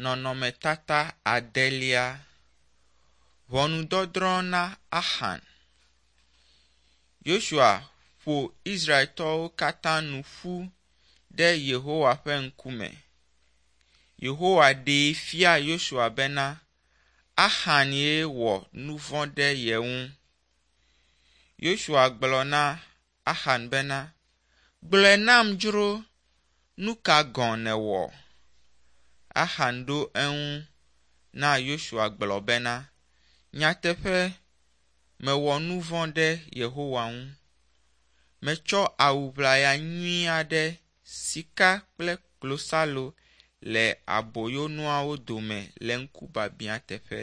Nɔnɔmetata adelia. Ʋɔnudɔdrɔ̃ na Axan. Yosua ƒo Israeltɔwo katã nu ƒu ɖe Yehowa ƒe ŋkume. Yehowa ɖee fia Yosua bena Axan ye wɔ nu vɔ̃ ɖe ye ŋu. Yosua gblɔ na Axan bena, Gblɔe nam dzro, nu ka gɔ̃ nèwɔ? Axan ɖo eŋu na Yosua gblɔ bena, Nyateƒe, mewɔ nu vɔ̃ ɖe Yehowa ŋu. Metsɔ awu ʋlaya nyui aɖe, sika kple klosalo le aboyonuawo dome le ŋkubiabiã teƒe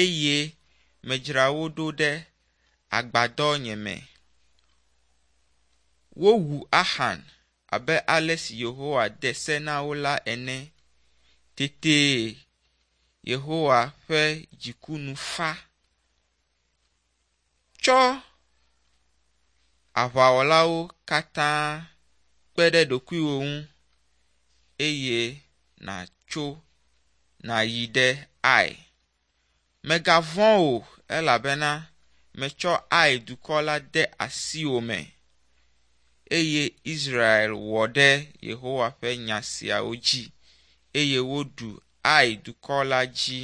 eye medzra wo ɖo ɖe agbadɔ nye me. Wowu Axan abe ale si Yehowa de se na wo la ene. Tete Yehowa ƒe dziku nu fa. Tsɔ aʋawɔlawo katã kpe ɖe ɖokuiwò ŋu eye nàtso nàyi ɖe Ai. Mègavɔ̃ o elabena metsɔ Ai dukɔ la de asiwò me. Eye Israel wɔ ɖe Yehowa ƒe nya siawo dzi eye woɖu Ai dukɔ la dzi.